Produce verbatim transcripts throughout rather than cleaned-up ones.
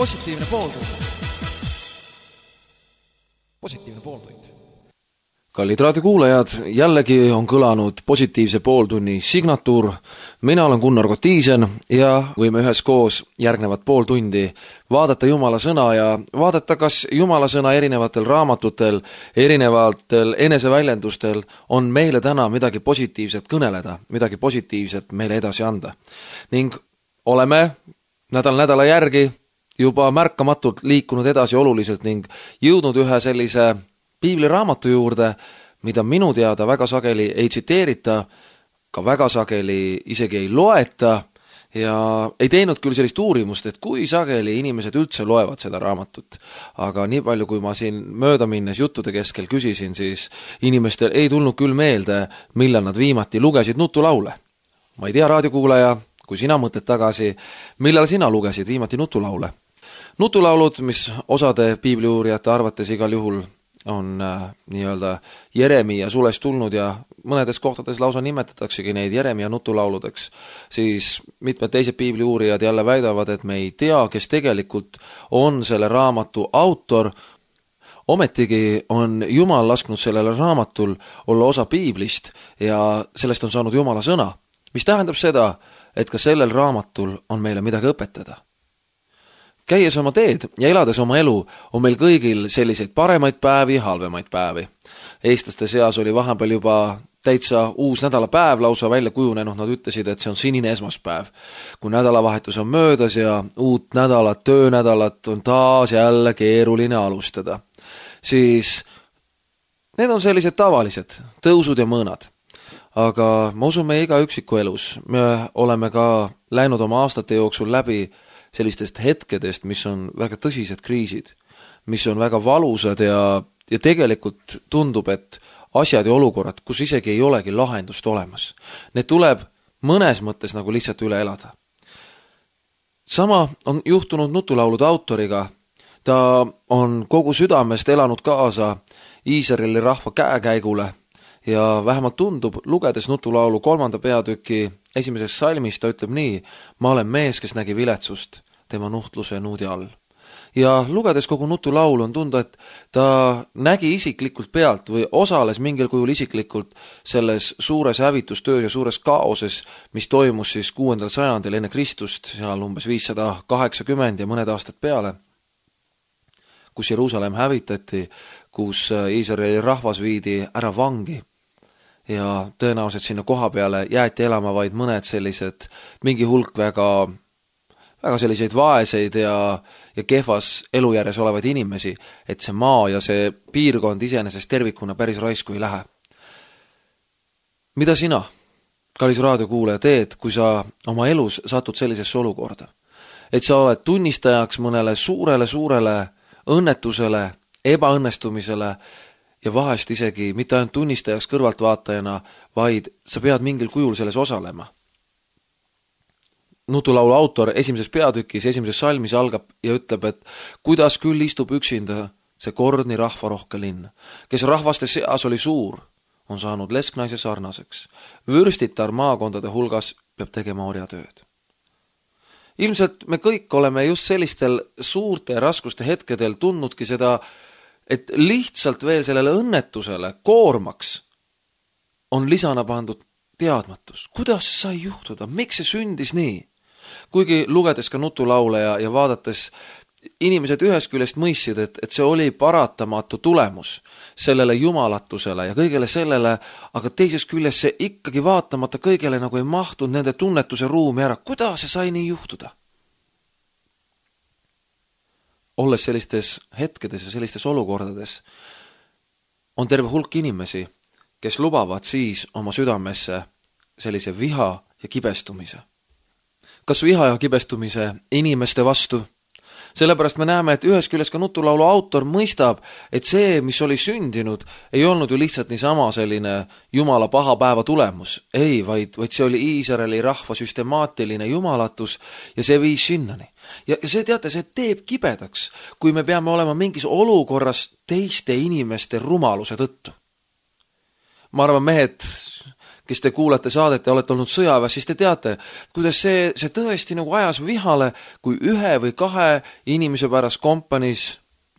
positiivne pooltund. Positiivne pooltund. Kallid raadiokuulajad, jällegi on kõlanud positiivse pooltunni signatuur. Mina olen Gunnar Kotiisen ja võime üheskoos järgnevat pool tundi vaadata Jumala sõna ja vaadata, kas Jumala sõna erinevatel raamatutel, erinevatel eneseväljendustel on meile täna midagi positiivset kõneleda, midagi positiivset meile edasi anda. Ning oleme nädal nädala järgi juba märkamatult liikunud edasi oluliselt ning jõudnud ühe sellise piibliraamatu juurde, mida minu teada väga sageli ei tsiteerita, ka väga sageli isegi ei loeta ja ei teinud küll sellist uurimust, et kui sageli inimesed üldse loevad seda raamatut. Aga nii palju, kui ma siin mööda minnes juttude keskel küsisin, siis inimestel ei tulnud küll meelde, millal nad viimati lugesid nutulaule. Ma ei tea, raadiokuulaja, kui sina mõtled tagasi, millal sina lugesid viimati nutulaule? Nutulaulud, mis osade piibliuurijate arvates igal juhul on äh, nii-öelda Jeremia sulest tulnud ja mõnedes kohtades lausa nimetataksegi neid Jeremia nutulauludeks, siis mitmed teised piibliuurijad jälle väidavad, et me ei tea, kes tegelikult on selle raamatu autor. Ometigi on Jumal lasknud sellele raamatul olla osa piiblist ja sellest on saanud Jumala sõna, mis tähendab seda, et ka sellel raamatul on meile midagi õpetada. Käies oma teed ja elades oma elu on meil kõigil selliseid paremaid päevi, halvemaid päevi. Eestlaste seas oli vahepeal juba täitsa uus nädalapäev lausa välja kujunenud, nad ütlesid, et see on sinine esmaspäev. Kui nädalavahetus on möödas ja uut nädalat, töönädalat on taas jälle keeruline alustada, siis need on sellised tavalised tõusud ja mõõnad. Aga ma usun meie iga üksiku elus, me oleme ka läinud oma aastate jooksul läbi sellistest hetkedest, mis on väga tõsised kriisid, mis on väga valusad ja, ja tegelikult tundub, et asjad ja olukorrad, kus isegi ei olegi lahendust olemas. Need tuleb mõnes mõttes nagu lihtsalt üle elada. Sama on juhtunud nutulaulude autoriga. Ta on kogu südamest elanud kaasa Iisraeli rahva käekäigule ja vähemalt tundub, lugedes nutulaulu kolmanda peatüki esimeses salmis, ta ütleb nii: ma olen mees, kes nägi viletsust tema nuhtluse nuudi all. Ja lugedes kogu nutulaulu on tunda, et ta nägi isiklikult pealt või osales mingil kujul isiklikult selles suures hävitustöös ja suures kaoses, mis toimus siis kuuendal sajandil enne Kristust, seal umbes viissada kaheksakümmend ja mõned aastad peale, kus Jeruusalemm hävitati, kus Iisraeli rahvas viidi ära vangi. Ja tõenäoliselt sinna koha peale jäeti elama vaid mõned sellised, mingi hulk väga, väga selliseid vaeseid ja, ja kehvas elujärjes olevaid inimesi, et see maa ja see piirkond iseenesest tervikuna päris raisku ei lähe. Mida sina, kallis raadiokuulaja, teed, kui sa oma elus satud sellisesse olukorda? Et sa oled tunnistajaks mõnele suurele, suurele õnnetusele, ebaõnnestumisele, ja vahest isegi mitte ainult tunnistajaks kõrvaltvaatajana, vaid sa pead mingil kujul selles osalema. Nutulaulu autor esimeses peatükis, esimeses salmis algab ja ütleb, et kuidas küll istub üksinda see kordni rahvarohke linn, kes rahvaste seas oli suur, on saanud lesknaise sarnaseks. Vürstitar maakondade hulgas peab tegema orjatööd. Ilmselt me kõik oleme just sellistel suurte raskuste hetkedel tundnudki seda, et lihtsalt veel sellele õnnetusele koormaks on lisana pandud teadmatus. Kuidas see sai juhtuda? Miks see sündis nii? Kuigi lugedes ka nutulaule ja, ja vaadates, inimesed ühest küljest mõistsid, et, et see oli paratamatu tulemus sellele jumalatusele ja kõigele sellele, aga teises küljest see ikkagi vaatamata kõigele nagu ei mahtunud nende tunnetuse ruumi ära. Kuidas see sai nii juhtuda? Olles sellistes hetkedes ja sellistes olukordades, on terve hulk inimesi, kes lubavad siis oma südamesse sellise viha ja kibestumise. Kas viha ja kibestumise inimeste vastu? Sellepärast me näeme, et ühes küljest ka nutulaulu autor mõistab, et see, mis oli sündinud, ei olnud ju lihtsalt niisama selline Jumala paha päeva tulemus. Ei, vaid, vaid see oli Iisraeli rahva süstemaatiline jumalatus ja see viis sinnani. Ja, ja see teate, see teeb kibedaks, kui me peame olema mingis olukorras teiste inimeste rumaluse tõttu. Ma arvan, mehed, kes te kuulete saadet ja olete olnud sõjaväes, siis te teate, kuidas see, see tõesti nagu ajas vihale, kui ühe või kahe inimese pärast kompaniis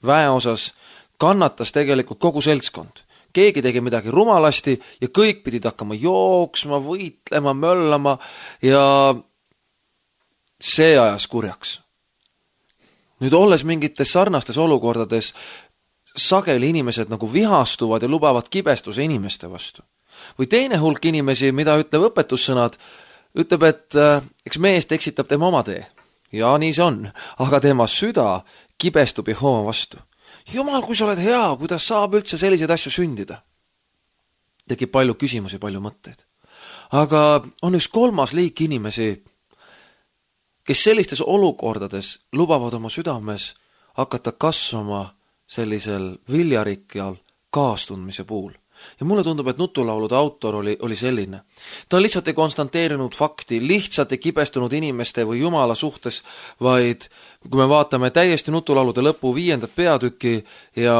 väeosas kannatas tegelikult kogu seltskond. Keegi tegi midagi rumalasti ja kõik pidid hakkama jooksma, võitlema, möllama ja see ajas kurjaks. Nüüd olles mingites sarnastes olukordades, sageli inimesed nagu vihastuvad ja lubavad kibestuse inimeste vastu. Või teine hulk inimesi, mida ütleb õpetussõnad, ütleb, et äh, eks meest eksitab tema oma tee. Ja nii see on, aga tema süda kibestub Jehova vastu. Jumal, kui sa oled hea, kuidas saab üldse selliseid asju sündida? Tekib palju küsimusi, palju mõtteid. Aga on üks kolmas liik inimesi, kes sellistes olukordades lubavad oma südames hakata kasvama sellisel viljarikkal kaastundmise puhul. Ja mulle tundub, et nutulaulude autor oli, oli selline. Ta lihtsalt ei konstanteerinud fakti, lihtsalt ei kibestunud inimeste või Jumala suhtes, vaid kui me vaatame täiesti nutulaulude lõpu viiendat peatükki ja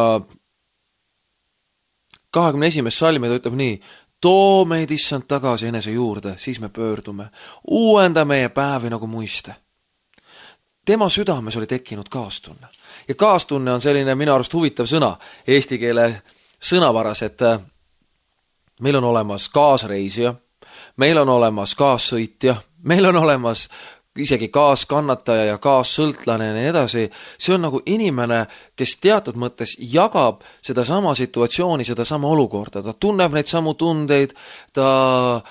kahekümne esimest salmi, ta ütleb nii: too meid issand tagasi enese juurde, siis me pöördume. Uuenda meie päevi nagu muiste. Tema südames oli tekkinud kaastunne. Ja kaastunne on selline minu arust huvitav sõna eesti keele sõnavaras, et meil on olemas kaasreisija, meil on olemas kaassõitja, meil on olemas isegi kaaskannataja ja kaassõltlane ja nii edasi. See on nagu inimene, kes teatud mõttes jagab seda sama situatsiooni, seda sama olukorda. Ta tunneb neid samu tundeid, ta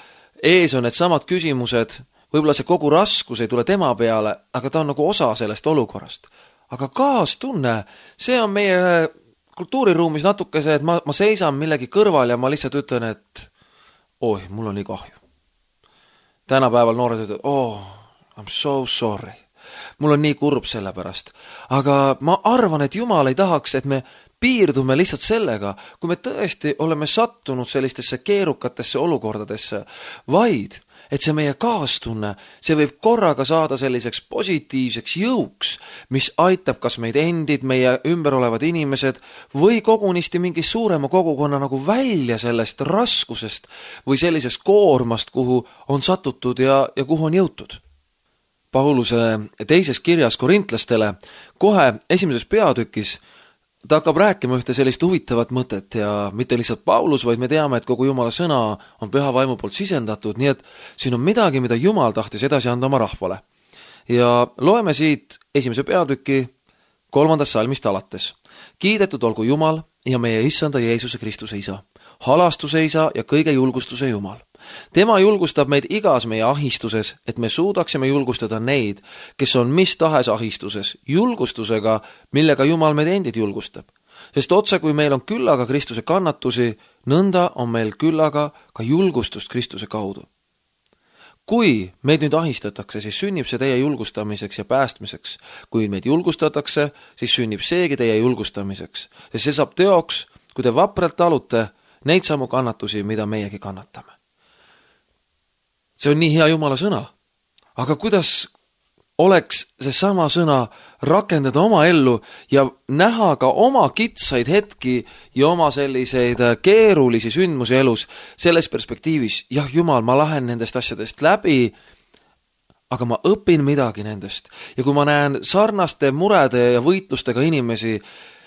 ees on need samad küsimused, võib-olla see kogu raskus ei tule tema peale, aga ta on nagu osa sellest olukorrast. Aga kaastunne, see on meie kultuuriruumis natuke see, et ma, ma seisan millegi kõrval ja ma lihtsalt ütlen, et oi, mul on nii kahju. Tänapäeval noored ütlevad, oh, I'm so sorry. Mul on nii kurb selle pärast. Aga ma arvan, et Jumal ei tahaks, et me piirdume lihtsalt sellega, kui me tõesti oleme sattunud sellistesse keerukatesse olukordadesse, vaid et see meie kaastunne, see võib korraga saada selliseks positiivseks jõuks, mis aitab kas meid endid, meie ümber olevad inimesed või kogunisti mingi suurema kogukonna nagu välja sellest raskusest või sellisest koormast, kuhu on satutud ja, ja kuhu on jõutud. Pauluse teises kirjas korintlastele kohe esimeses peatükis ta hakkab rääkima ühte sellist huvitavat mõtet ja mitte lihtsalt Paulus, vaid me teame, et kogu Jumala sõna on püha vaimu poolt sisendatud, nii et siin on midagi, mida Jumal tahtis edasi anda oma rahvale. Ja loeme siit esimese peatüki kolmandast salmist alates. Kiidetud olgu Jumal ja meie issanda Jeesuse Kristuse isa, halastuse isa ja kõige julgustuse Jumal. Tema julgustab meid igas meie ahistuses, et me suudaksime julgustada neid, kes on mis tahes ahistuses, julgustusega, millega Jumal meid endid julgustab. Sest otse kui meil on küllaga Kristuse kannatusi, nõnda on meil küllaga ka julgustust Kristuse kaudu. Kui meid nüüd ahistatakse, siis sünnib see teie julgustamiseks ja päästmiseks. Kui meid julgustatakse, siis sünnib seegi teie julgustamiseks. Sest see saab teoks, kui te vapralt talute neid samu kannatusi, mida meiegi kannatame. See on nii hea Jumala sõna. Aga kuidas oleks see sama sõna rakendada oma ellu ja näha ka oma kitsaid hetki ja oma selliseid keerulisi sündmusi elus selles perspektiivis, jah, Jumal, ma lähen nendest asjadest läbi, aga ma õpin midagi nendest. Ja kui ma näen sarnaste murede ja võitlustega inimesi,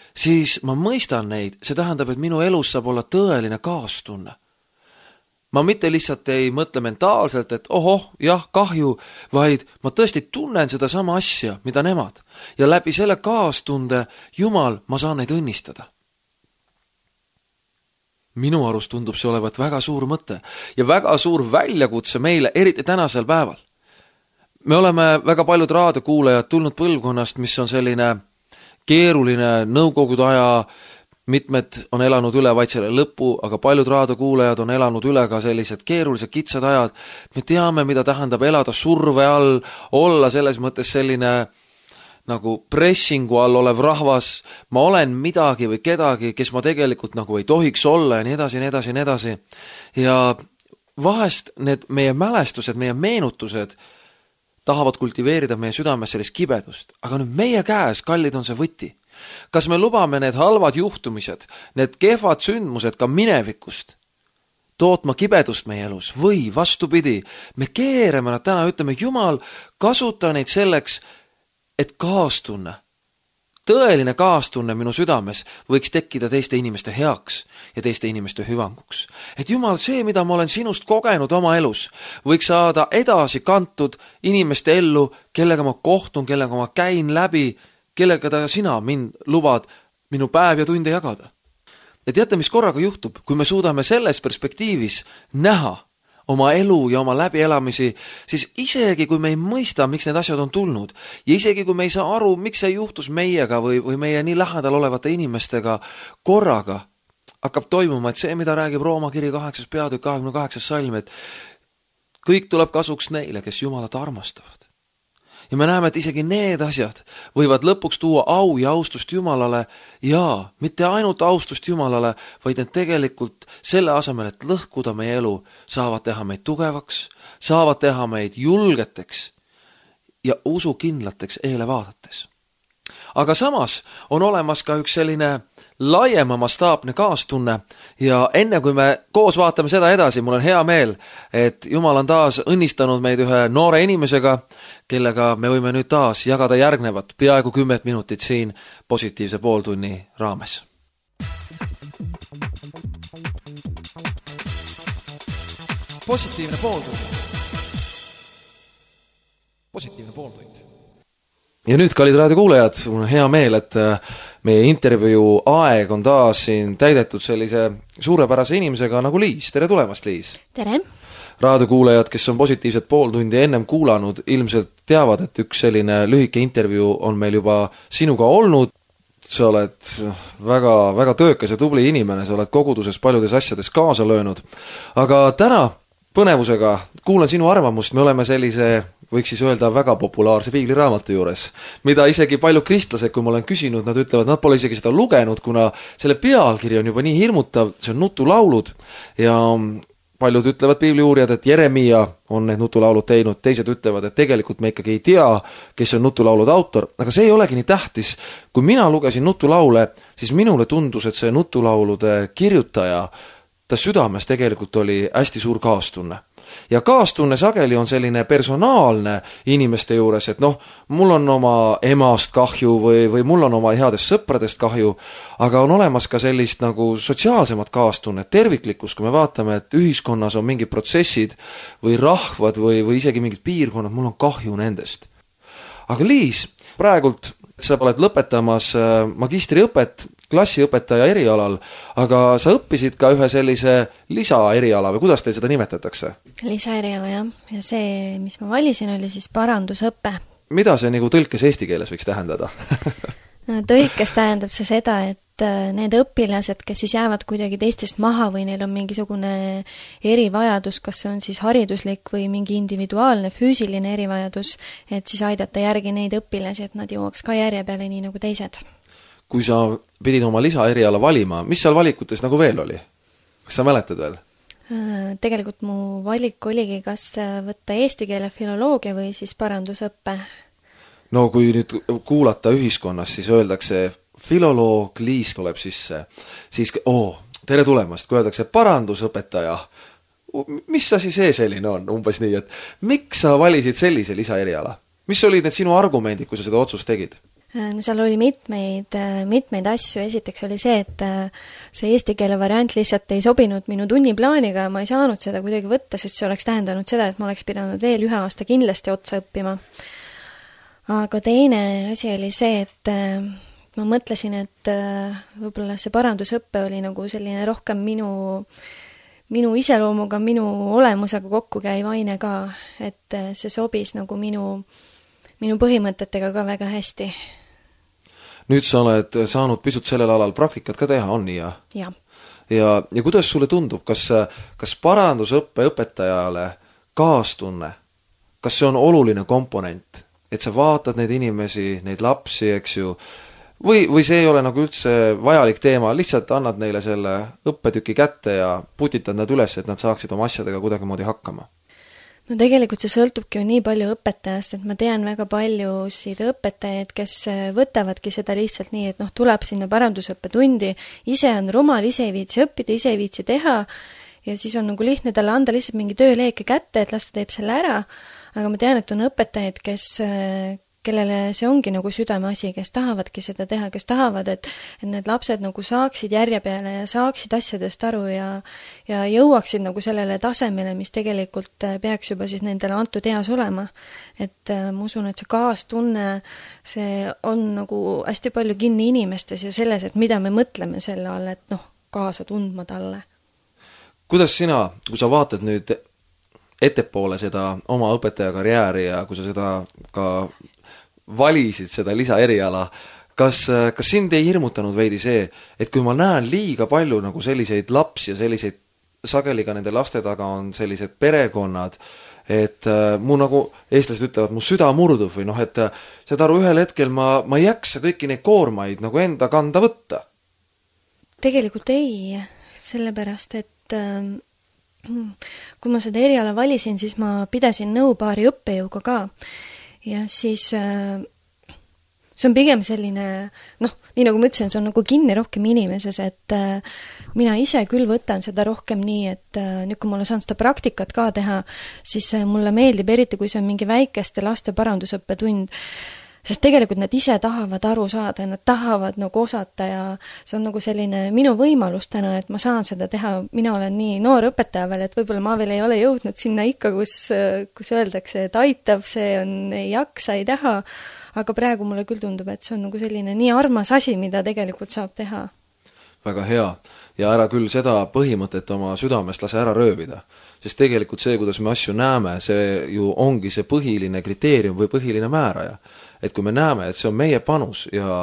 siis ma mõistan neid. See tähendab, et minu elus saab olla tõeline kaastunne. Ma mitte lihtsalt ei mõtle mentaalselt, et ohoh, jah, kahju, vaid ma tõesti tunnen seda sama asja, mida nemad. Ja läbi selle kaastunde, Jumal, ma saan neid õnnistada. Minu arust tundub see olevat väga suur mõte ja väga suur väljakutse meile, eriti tänasel päeval. Me oleme väga paljud raadiokuulajad tulnud põlvkonnast, mis on selline keeruline nõukogude aja. Mitmed on elanud üle vaid selle lõpu, aga paljud raadiokuulajad on elanud üle ka sellised keerulised kitsad ajad. Me teame, mida tähendab elada surve all, olla selles mõttes selline nagu pressingu all olev rahvas. Ma olen midagi või kedagi, kes ma tegelikult nagu ei tohiks olla ja nii edasi, nii edasi, nii edasi. Ja vahest need meie mälestused, meie meenutused tahavad kultiveerida meie südames sellist kibedust. Aga nüüd meie käes, kallid, on see võti. Kas me lubame need halvad juhtumised, need kehvad sündmused ka minevikust tootma kibedust meie elus või vastupidi, me keerame nad täna, ütleme, Jumal, kasuta neid selleks, et kaastunne, tõeline kaastunne minu südames võiks tekkida teiste inimeste heaks ja teiste inimeste hüvanguks. Et Jumal, see, mida ma olen sinust kogenud oma elus, võiks saada edasi kantud inimeste ellu, kellega ma kohtun, kellega ma käin läbi, kellega ta sina mind lubad minu päev ja tunde jagada. Ja teate, mis korraga juhtub, kui me suudame selles perspektiivis näha oma elu ja oma läbielamisi, siis isegi kui me ei mõista, miks need asjad on tulnud ja isegi kui me ei saa aru, miks see juhtus meiega või, või meie nii lähedal olevate inimestega, korraga hakkab toimuma, et see, mida räägib Rooma kiri kaheksas peatükk kahekümne kaheksas salm, et kõik tuleb kasuks neile, kes Jumalat armastavad. Ja me näeme, et isegi need asjad võivad lõpuks tuua au ja austust Jumalale ja mitte ainult austust Jumalale, vaid need tegelikult selle asemel, et lõhkuda meie elu, saavad teha meid tugevaks, saavad teha meid julgeteks ja usukindlateks eele vaadates. Aga samas on olemas ka üks selline laiema mastaapne kaastunne ja enne kui me koos vaatame seda edasi, mul on hea meel, et Jumal on taas õnnistanud meid ühe noore inimesega, kellega me võime nüüd taas jagada järgnevat peaaegu kümmet minutit siin positiivse pooltunni raames. Positiivne pooltund. Positiivne pooltund. Ja nüüd, kallid raadiokuulajad, mul on hea meel, et meie intervjuu aeg on taas siin täidetud sellise suurepärase inimesega nagu Liis. Tere tulemast, Liis! Tere! Raadiokuulajad, kes on positiivset pooltundi ennem kuulanud, ilmselt teavad, et üks selline lühike intervjuu on meil juba sinuga olnud. Sa oled väga, väga töökas ja tubli inimene, sa oled koguduses paljudes asjades kaasa löönud. Aga täna põnevusega kuulan sinu arvamust, me oleme sellise, võiks siis öelda, väga populaarse piibliraamatu juures, mida isegi paljud kristlased, kui ma olen küsinud, nad ütlevad, nad pole isegi seda lugenud, kuna selle pealkiri on juba nii hirmutav, see on nutulaulud ja paljud ütlevad piibliuurijad, et Jeremia on need nutulaulud teinud, teised ütlevad, et tegelikult me ikkagi ei tea, kes on nutulaulude autor, aga see ei olegi nii tähtis. Kui mina lugesin nutulaule, siis minule tundus, et see nutulaulude kirjutaja, ta südames tegelikult oli hästi suur kaastunne. Ja kaastunne sageli on selline personaalne inimeste juures, et noh, mul on oma emast kahju või, või mul on oma headest sõpradest kahju, aga on olemas ka sellist nagu sotsiaalsemat kaastunnet, terviklikkus, kui me vaatame, et ühiskonnas on mingid protsessid või rahvad või, või isegi mingid piirkonnad, mul on kahju nendest. Aga Liis, praegult sa oled lõpetamas magistriõpet klassiõpetaja erialal, aga sa õppisid ka ühe sellise lisaeriala või kuidas teil seda nimetatakse? Lisaeriala, jah. Ja see, mis ma valisin, oli siis parandusõppe. Mida see nagu tõlkes eesti keeles võiks tähendada? Tõlkes tähendab see seda, et need õpilased, kes siis jäävad kuidagi teistest maha või neil on mingisugune erivajadus, kas see on siis hariduslik või mingi individuaalne, füüsiline erivajadus, et siis aidata järgi neid õpilasi, et nad jõuaks ka järje peale nii nagu teised. Kui sa pidid oma lisaeriala valima, mis seal valikutes nagu veel oli? Kas sa mäletad veel? Tegelikult mu valik oligi kas võtta eesti keele filoloogia või siis parandusõppe. No kui nüüd kuulata ühiskonnas, siis öeldakse filoloog, Liis tuleb sisse, siis oh, tere tulemast, kui öeldakse parandusõpetaja. Mis asi see selline on? Umbes nii, et miks sa valisid sellise lisaeriala? Mis olid need sinu argumendid, kui sa seda otsust tegid? No seal oli mitmeid, mitmeid asju. Esiteks oli see, et see eesti keele variant lihtsalt ei sobinud minu tunniplaaniga ja ma ei saanud seda kuidagi võtta, sest see oleks tähendanud seda, et ma oleks pidanud veel ühe aasta kindlasti otsa õppima. Aga teine asi oli see, et ma mõtlesin, et võib-olla see parandusõppe oli nagu selline rohkem minu, minu iseloomuga, minu olemusega kokku käiv aine ka, et see sobis nagu minu, minu põhimõtetega ka väga hästi. Nüüd sa oled saanud pisut sellel alal praktikat ka teha, on nii ja? Ja. Ja, ja kuidas sulle tundub, kas, kas parandusõppe õpetajale kaastunne, kas see on oluline komponent, et sa vaatad neid inimesi, neid lapsi, eks ju, või, või see ei ole nagu üldse vajalik teema, lihtsalt annad neile selle õppetüki kätte ja putitad nad üles, et nad saaksid oma asjadega kuidagimoodi hakkama? No tegelikult see sõltubki ju nii palju õpetajast, et ma tean väga paljusid õpetajaid, kes võtavadki seda lihtsalt nii, et noh, tuleb sinna parandusõppetundi, ise on rumal, ise ei viitsi õppida, ise ei viitsi teha ja siis on nagu lihtne talle anda lihtsalt mingi tööleeke kätte, et las ta teeb selle ära, aga ma tean, et on õpetajaid, kes, kellele see ongi nagu südameasi, kes tahavadki seda teha, kes tahavad, et, et need lapsed nagu saaksid järje peale ja saaksid asjadest aru ja, ja jõuaksid nagu sellele tasemele, mis tegelikult peaks juba siis nendele antud eas olema. Et ma usun, et see kaastunne, see on nagu hästi palju kinni inimestes ja selles, et mida me mõtleme selle all, et noh, kaasa tundma talle. Kuidas sina, kui sa vaatad nüüd ettepoole seda oma õpetaja karjääri ja kui sa seda ka valisid seda lisaeriala, kas, kas sind ei hirmutanud veidi see, et kui ma näen liiga palju nagu selliseid lapsi ja selliseid, sageli ka nende laste taga on sellised perekonnad, et äh, mu nagu eestlased ütlevad, mu süda murdub või noh, et seda aru ühel hetkel ma, ma ei jaksa kõiki neid koormaid nagu enda kanda võtta. Tegelikult ei, sellepärast, et äh, kui ma seda eriala valisin, siis ma pidasin nõu paari õppejõuga ka. Ja siis see on pigem selline, noh, nii nagu ma ütlesin, see on nagu kinni rohkem inimeses, et mina ise küll võtan seda rohkem nii, et nüüd kui mulle saan seda praktikat ka teha, siis mulle meeldib eriti, kui see on mingi väikeste laste parandusõppetund, sest tegelikult nad ise tahavad aru saada ja nad tahavad nagu osata ja see on nagu selline minu võimalus täna, et ma saan seda teha, mina olen nii noor õpetaja veel, et võib-olla ma veel ei ole jõudnud sinna ikka, kus, kus öeldakse, et aitab, see on, ei jaksa, ei taha, aga praegu mulle küll tundub, et see on nagu selline nii armas asi, mida tegelikult saab teha. Väga hea. Ja ära küll seda põhimõtet oma südamest lase ära röövida. Sest tegelikult see, kuidas me asju näeme, see ju ongi see põhiline kriteerium või põhiline määraja. Et kui me näeme, et see on meie panus ja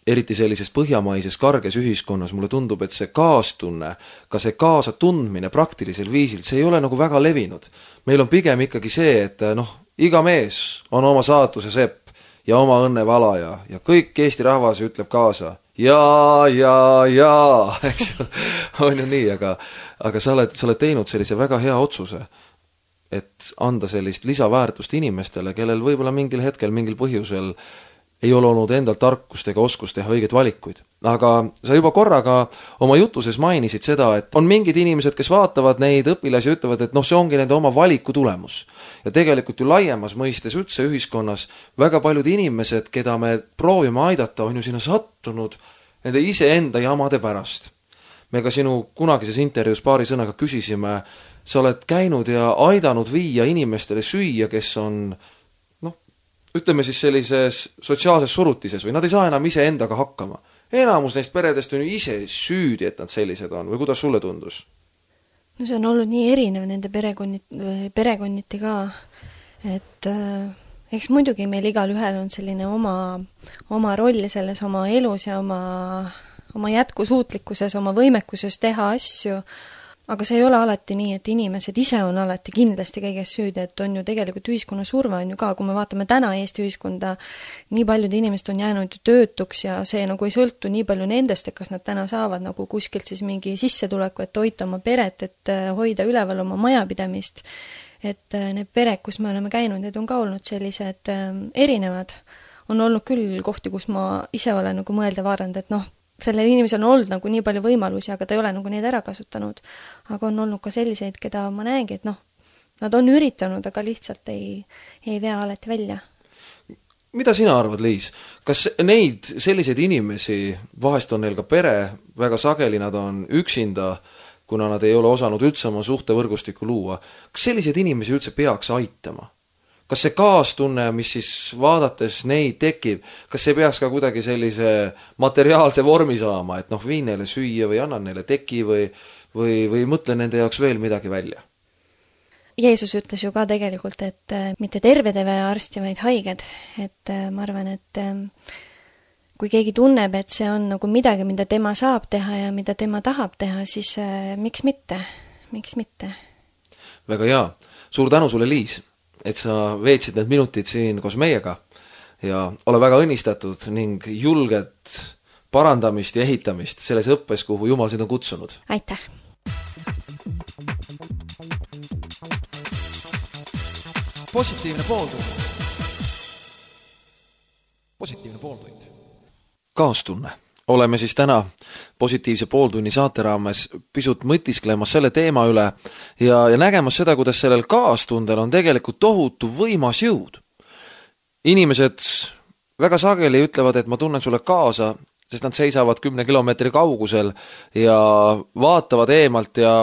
eriti sellises põhjamaises karges ühiskonnas, mulle tundub, et see kaastunne, ka see kaasa tundmine praktilisel viisil, see ei ole nagu väga levinud. Meil on pigem ikkagi see, et noh, iga mees on oma saatuse sepp ja oma õnne valaja ja kõik Eesti rahvas ütleb kaasa. Ja, ja, ja, eks on ju nii, aga, aga sa oled, sa oled teinud sellise väga hea otsuse, et anda sellist lisaväärtust inimestele, kellel võib-olla mingil hetkel, mingil põhjusel ei ole olnud endal tarkust ega oskust teha õigeid valikuid. Aga sa juba korraga oma jutuses mainisid seda, et on mingid inimesed, kes vaatavad neid õpilasi ja ütlevad, et noh, see ongi nende oma valiku tulemus. Ja tegelikult ju laiemas mõistes üldse ühiskonnas väga paljud inimesed, keda me proovime aidata, on ju sinna sattunud nende iseenda jamade pärast. Me ka sinu kunagises intervjuus paari sõnaga küsisime, sa oled käinud ja aidanud viia inimestele süüa, kes on, noh, ütleme siis sellises sotsiaalses surutises või nad ei saa enam ise endaga hakkama. Enamus neist peredest on ju ise süüdi, et nad sellised on või kuidas sulle tundus? No see on olnud nii erinev nende perekonniti, perekonniti ka, et äh, eks muidugi meil igal ühel on selline oma, oma roll selles oma elus ja oma, oma jätkusuutlikkuses, oma võimekuses teha asju, aga see ei ole alati nii, et inimesed ise on alati kindlasti kõiges süüdi, et on ju tegelikult ühiskonna surve on ju ka, kui me vaatame täna Eesti ühiskonda, nii paljud inimesed on jäänud töötuks ja see nagu ei sõltu nii palju nendest, et kas nad täna saavad nagu kuskilt siis mingi sissetuleku, et hoida oma peret, et hoida üleval oma majapidamist, et need pered, kus me oleme käinud, need on ka olnud sellised erinevad. On olnud küll kohti, kus ma ise olen nagu mõelda vaadanud, et noh, sellel inimesel on olnud nagu nii palju võimalusi, aga ta ei ole nagu neid ära kasutanud. Aga on olnud ka selliseid, keda ma näengi, et noh, nad on üritanud, aga lihtsalt ei, ei vea alati välja. Mida sina arvad, Liis? Kas neid selliseid inimesi, vahest on neil ka pere, väga sageli nad on üksinda, kuna nad ei ole osanud üldse oma suhtevõrgustikku luua, kas selliseid inimesi üldse peaks aitama? Kas see kaastunne, mis siis vaadates neid tekib, kas see peaks ka kuidagi sellise materiaalse vormi saama, et noh, viin neile süüa või annan neile teki või, või, või mõtle nende jaoks veel midagi välja? Jeesus ütles ju ka tegelikult, et mitte terved ei vaja arsti, vaid haiged. Et ma arvan, et kui keegi tunneb, et see on nagu midagi, mida tema saab teha ja mida tema tahab teha, siis miks mitte? Miks mitte? Väga hea. Suur tänu sulle, Liis, et sa veetsid need minutid siin koos meiega ja ole väga õnnistatud ning julget parandamist ja ehitamist selles õppes, kuhu Jumal sind on kutsunud. Aitäh! Positiivne pooltund. Positiivne pooltund. Kaastunne oleme siis täna positiivse pooltunni saate raames pisut mõtisklemas selle teema üle ja, ja nägemas seda, kuidas sellel kaastundel on tegelikult tohutu võimas jõud. Inimesed väga sageli ütlevad, et ma tunnen sulle kaasa, sest nad seisavad kümne kilomeetri kaugusel ja vaatavad eemalt ja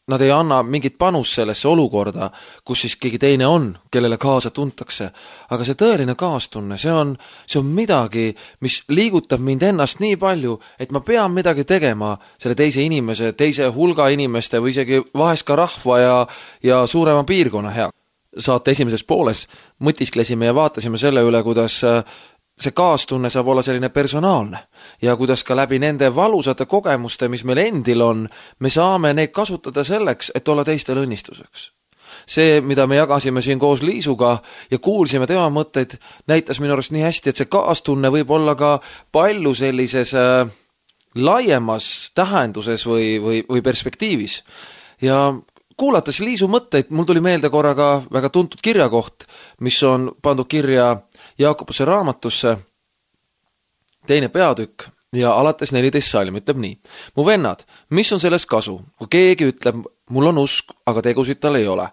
nad ei anna mingit panust sellesse olukorda, kus siis keegi teine on, kellele kaasa tuntakse. Aga see tõeline kaastunne, see on, see on midagi, mis liigutab mind ennast nii palju, et ma pean midagi tegema selle teise inimese, teise hulga inimeste või isegi vahest ka rahva ja, ja suurema piirkonna hea. Saate esimeses pooles mõtisklesime ja vaatasime selle üle, kuidas see kaastunne saab olla selline personaalne ja kuidas ka läbi nende valusate kogemuste, mis meil endil on, me saame neid kasutada selleks, et olla teistel õnnistuseks. See, mida me jagasime siin koos Liisuga ja kuulsime tema mõtteid, näitas minu arust nii hästi, et see kaastunne võib olla ka palju sellises äh, laiemas tähenduses või, või, või perspektiivis. Ja kuulates Liisu mõtteid, mul tuli meelde korraga väga tuntud kirjakoht, mis on pandud kirja Jaakobuse raamatusse, teine peatükk ja alates neliteist salm ütleb nii. Mu vennad, mis on sellest kasu, kui keegi ütleb, mul on usk, aga tegusid tal ei ole?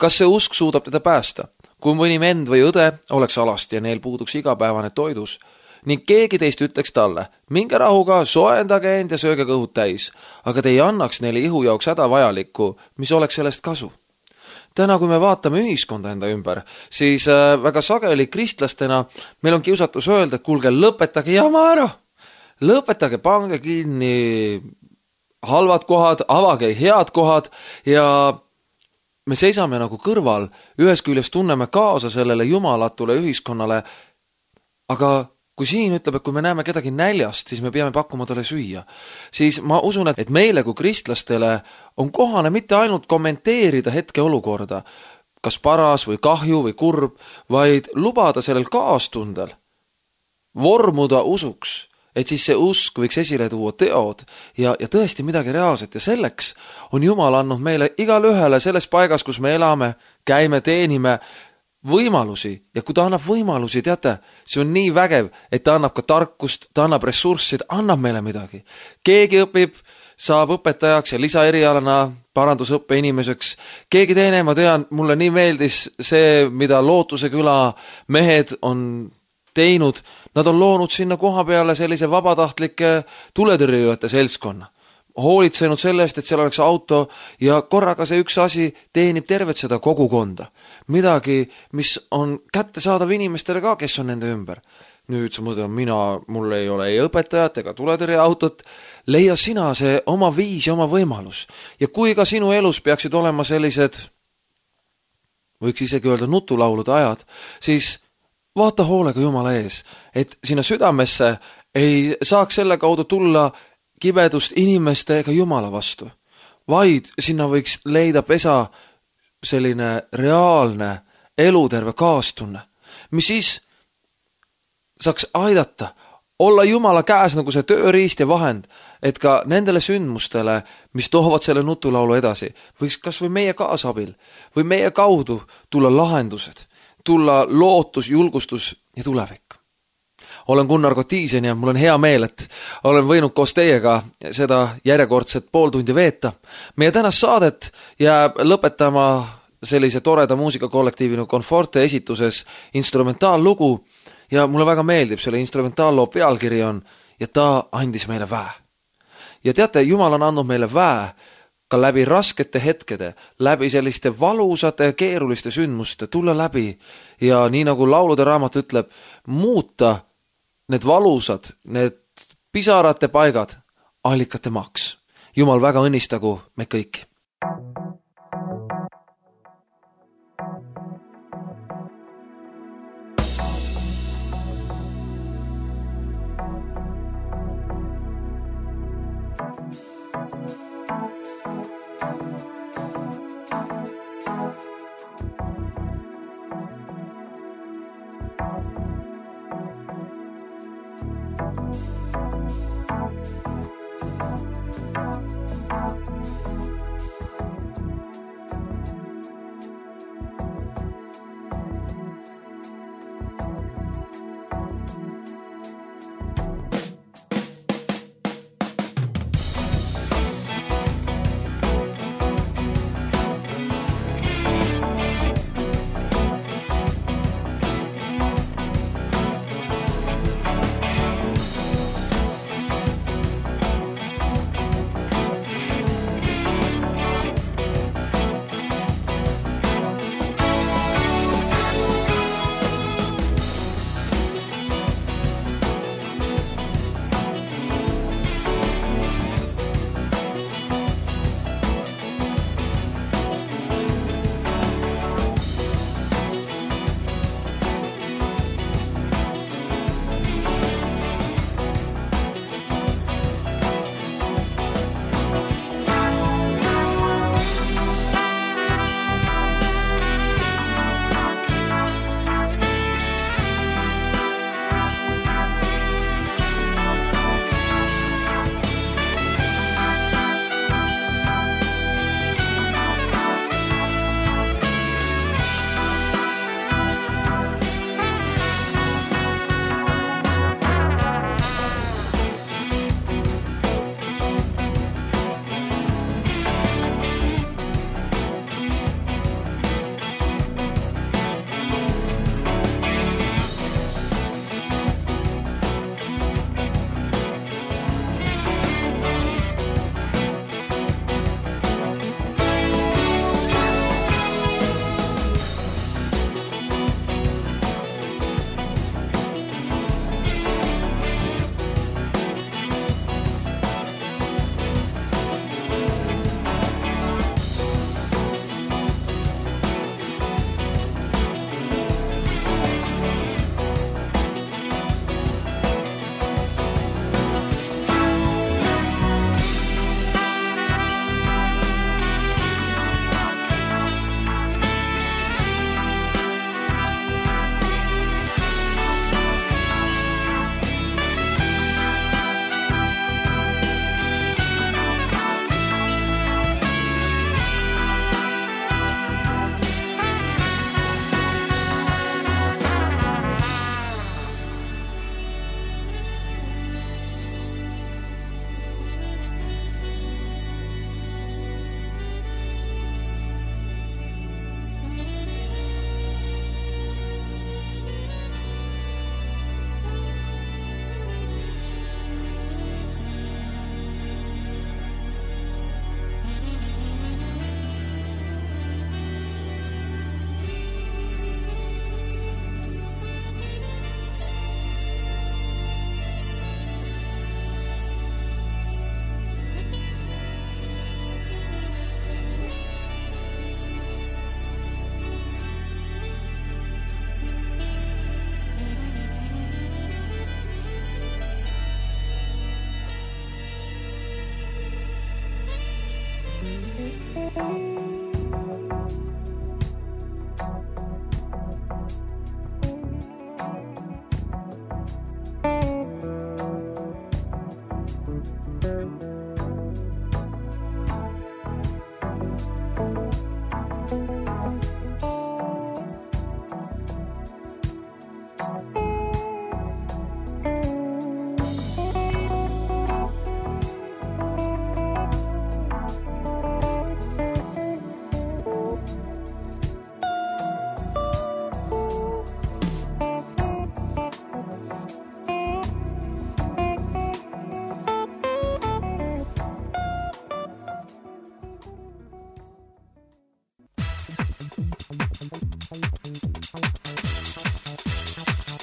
Kas see usk suudab teda päästa? Kui mõni vend või õde oleks alasti ja neil puuduks igapäevane toidus, ning keegi teist ütleks talle, minge rahuga, soendage end ja sööge kõhud täis, aga te ei annaks neile ihu jaoks häda vajalikku, mis oleks sellest kasu. Täna, kui me vaatame ühiskonda enda ümber, siis väga sageli kristlastena meil on kiusatus öelda, et kuulge, lõpetage jama ära. Lõpetage, pange kinni halvad kohad, avage head kohad ja me seisame nagu kõrval, ühes küljest tunneme kaasa sellele jumalatule ühiskonnale, aga kui siin ütleb, et kui me näeme kedagi näljast, siis me peame pakkuma talle süüa, siis ma usun, et meile kui kristlastele on kohane mitte ainult kommenteerida hetke olukorda, kas paras või kahju või kurb, vaid lubada sellel kaastundel vormuda usuks, et siis see usk võiks esile tuua teod ja, ja tõesti midagi reaalset ja selleks on Jumal andnud meile igal ühele selles paigas, kus me elame, käime, teenime, võimalusi ja kui ta annab võimalusi, teate, see on nii vägev, et ta annab ka tarkust, ta annab ressurssi, ta annab meile midagi. Keegi õpib, saab õpetajaks ja lisaerialana parandusõppe inimeseks. Keegi teine, ma tean, mulle nii meeldis see, mida Lootuse küla mehed on teinud. Nad on loonud sinna koha peale sellise vabatahtlike tuletõrjujate seltskonna. Hoolitsenud sellest, et seal oleks auto ja korraga see üks asi teenib tervet seda kogukonda. Midagi, mis on kättesaadav inimestele ka, kes on nende ümber. Nüüd sa mõtled, mina, mul ei ole ei õpetajat ega tuletõrjeautot. Leia sina see oma viis ja oma võimalus. Ja kui ka sinu elus peaksid olema sellised, võiks isegi öelda nutulaulude ajad, siis vaata hoolega Jumala ees, et sina südamesse ei saaks selle kaudu tulla kibedust inimeste ega Jumala vastu, vaid sinna võiks leida pesa selline reaalne eluterve kaastunne, mis siis saaks aidata olla Jumala käes nagu see tööriist ja vahend, et ka nendele sündmustele, mis toovad selle nutulaulu edasi, võiks kas või meie kaasabil või meie kaudu tulla lahendused, tulla lootus, julgustus ja tulevik. Olen Gunnar Kotiisen ja mul on hea meel, et olen võinud koos teiega seda järjekordset pool tundi veeta. Meie tänast saadet jääb lõpetama sellise toreda muusikakollektiivinu Conforte esituses instrumentaallugu ja mulle väga meeldib selle instrumentaalloo pealkiri on ja ta andis meile väe. Ja teate, Jumal on andnud meile väe ka läbi raskete hetkede, läbi selliste valusate ja keeruliste sündmuste tulla läbi ja nii nagu laulude raamat ütleb, muuta need valusad, need pisarate paigad, allikate maks. Jumal väga õnnistagu me kõiki.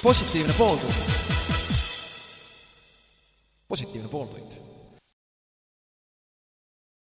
positiivne pooltund. positiivne pooltund